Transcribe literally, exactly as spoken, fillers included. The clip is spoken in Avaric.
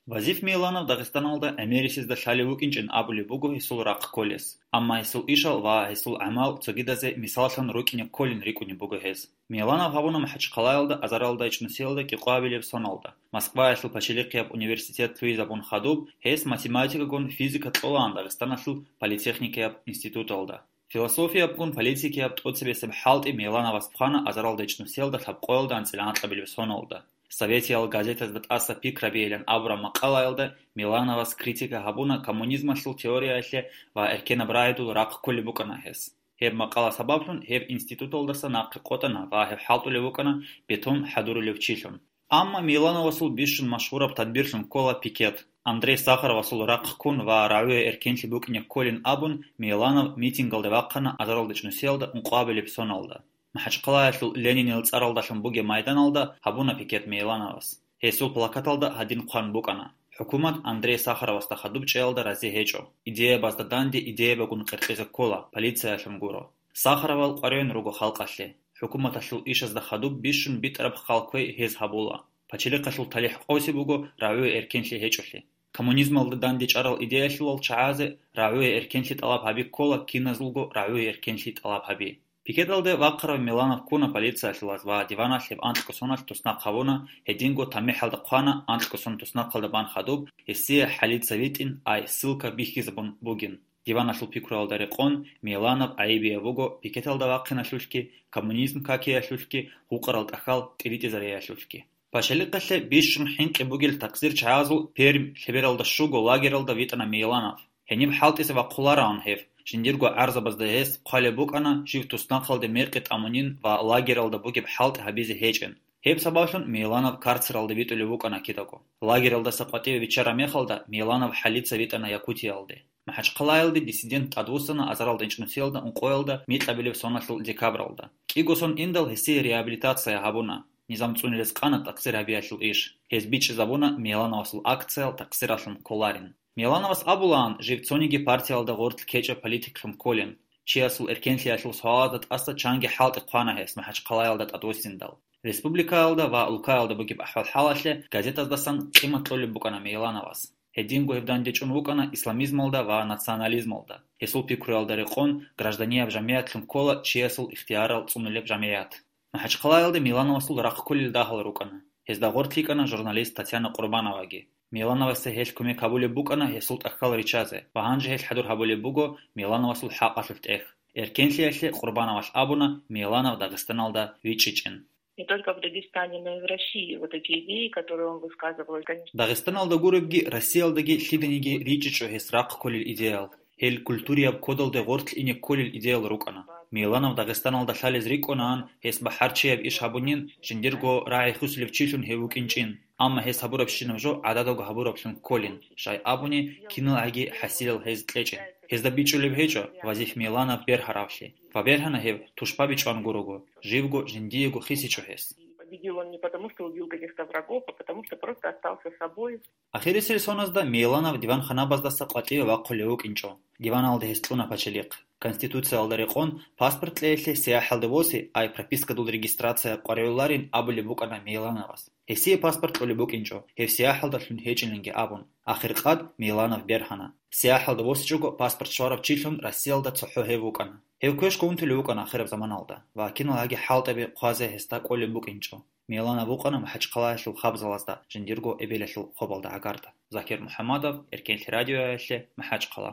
Вазиф Миланов Дагъистаналда гӀемерисезда лъалев вукӀинчӀин абулеб буго гьесул рахъ кколес, амма гьесул ишал ва гьесул гӀамал цогидазе мисаллъун рукӀине кколин рикӀкӀунеб буго гьес. Миланов гьабуна МахӀачхъалаялда азаралда ичӀнусиялда кӀикъоабилеб соналда. Москваялъул пачалихъияб университет лъугьизабун хадуб, гьес математикагун физика кьолаан Дагъистаналъул политехникияб институталда. Философиябгун политикияб тӀоцебесеб хӀалтӀи Милановас хъвана азаралда ичӀнусиялда лъабкъоялда анцӀила анкьабилеб соналда. Советиял газетазда тӀаса пикрабейилан абураб макъалаялда Милановас критика гьабуна коммунизмалъул теориялъе ва эркенаб рагӀидул рахъ кколеб букӀана гьес. Гьеб макъала сабаблъун гьеб институталдаса нахъе къотӀана ва гьев хӀалтӀулев вукӀана бетон хӀадурулев чилъун. Амма Милановасул бищун машгьураб тадбирлъун ккола пикет. Андрей Сахаровасул рахъ ккун ва рагӀуе эркенлъи букӀине кколин абун, Миланов митингалде вахъана азаралда ичӀнусиялда ункъоабилеб соналда. МахӀачхъалаялъул Ленинил цӀаралдалъун бугеб майданалда гьабуна пикет Милановас. Гьесул плакаталда гьадин хъван букӀана: «ХӀукумат Андрей Сахаровасда хадуб чӀеялда рази гьечӀо. Идеябазда данде идеябагун къеркьизе ккола, полициялъун гуро». Сахаровал къваригӀун руго халкъалъе. ХӀукуматалъул ишазда хадуб бищун битӀараб хал кквей гьез гьабула. Пачалихъалъул талихӀ къоси буго рагӀуе эркенлъи гьечӀолъи. Коммунизмалда дандечӀарал идеялъулал чагӀазе рагӀуе эркенлъи тӀалаб гьаби ккола киназулго рагӀуе эркенлъи тӀалаб гьаби. Пикеталде вахъарав Миланов ккуна полициялъулаз ва диваналъ гьеб анкьго соналъ туснахъ гьабуна, гьединго тамихӀалда хъвана анкьго сон туснахъалда бан хадуб, гьесие хӀалица витӀин, ай, ссылка бихьизабун бугин. Диваналъул пикруялда рекъон, Миланов гӀайибияб буго пикеталда вахъиналъулъги, коммунизм какиялъулъги, гьукъарал тӀахьал тӀиритӀизариялъулъги. Пачалихъалъе бищун хӀинкъи бугел такъсир чагӀазул Пермь лъебералда щуго лагералда витӀана Миланов. Гьениб хӀалтӀизе вахъулараан гьев, жиндирго гӀарзабазда гьес хъвалеб букӀана жив туснахъалде мекъи тӀамунин ва лагералда бугеб хӀалтӀи гьабизе гьечӀин. Гьеб сабаблъун Миланов карцералда витӀулев вукӀана кидаго. Лагералдаса къватӀиве биччараб мехалда Миланов хӀалица витӀана Якутиялде. МахӀачхъалаялде диссидент тӀадвуссана азаралда ичӀнусиялда ункъоялда микьабилеб соналъул декабралда. КӀиго сон индал гьесие реабилитация гьабуна. Низам цӀуни рецӀкъана такъсир гьабиялъул иш. Гьез бичӀчӀизабуна Милановасул акциял такъсиралъун кколарин. Милановас абулаан жив цониги партиялда гъорлъ ккечӀеб политиклъун кколин. Чиясул эркенлъиялъул суалазда тӀаса чанги хӀалтӀи хъвана гьес МахӀачхъалаялда тӀадвуссиндал. Республикаялда ва улкаялда бугеб ахӀвал-хӀалалъе газетаздасан къимат кьолеб букӀана Милановас. Гьединго гьев дандечӀун вукӀана исламизмалда ва национализмалда. Гьесул пикруялда рекъон гражданияб жамигӀятлъун ккола чиясул ихтиярал цӀунулеб жамигӀят. МахӀачхъалаялда Милановасул рахъ кколел дагьал рукӀана. Гьезда гъорлъ йикӀана журналист Татьяна Къурбановаги. Милановасе гьелъ кумек гьабулеб букӀана гьесул тӀахьал ричазе ва гьанже гьелъ хӀадур гьабулеб буго Милановасул хӀакъалъулъ тӀех. Эркенлъиялъе Къурбановалъ абуна Миланов Дагъистаналда вичӀчӀичӀин. Не только в Дагестане, но и в России вот эти идеи, которые он высказывал, конечно. Дагъистаналда гуребги, Россиялдаги лъиданиги ричӀчӀичӀо гьес рахъ кколел идеял. Гьел культурияб кодалде гъорлъ ине кколел идеял рукӀана. Миланов Дагъистаналда лъалез рикӀкӀунаан, гьес бахӀарчияб иш гьабунин, жиндирго рагӀи хисулев чилъун гьев вукӀинчӀин. Амма гьес гьабурабщинаб жо гӀададав гьабураблъун кколин, щай абуни, киналгӀаги хӀасилал гьез кьечӀин. Гьезда бичӀчӀулеб гьечӀо Вазиф Миланов бергьаравлъи. Ва бергьана гьев тушбаби чӀван гурого, живго жиндиего хисичӀо гьес. Победил он не потому, что убил каких-то врагов, а потому, что просто остался собой. Ахирисел соназда Миланов диванханабаздаса къватӀиве вахъулев вукӀинчӀо. Диваналда гьес кьуна пачалихъ. Конституциялда рекъон паспорт кьеялъе сияхӀалде босе, ай пропискадул регистрация къваригӀуларин абулеб букӀана Милановас. Гьесие паспорт кьолеб букӀинчӀо, гьев сияхӀалдалъун гьечӀиланги абун. Ахиркъад Миланов бергьана. СияхӀалда босичӀого паспорт щварав чилъун Россиялда цохӀо гьев вукӀана. Гьев квешго унтулев вукӀана ахираб заманалда ва киналгӀаги хӀалтӀаби хъвазе гьесда кӀолеб букӀинчӀо. Миланов вукӀана МахӀачхъалаялъул хабзалазда жиндирго эбелалъул хобалда гӀагарда. Закир МухӀамадов, Эркенлъи радиоялъе, МахӀачхъала.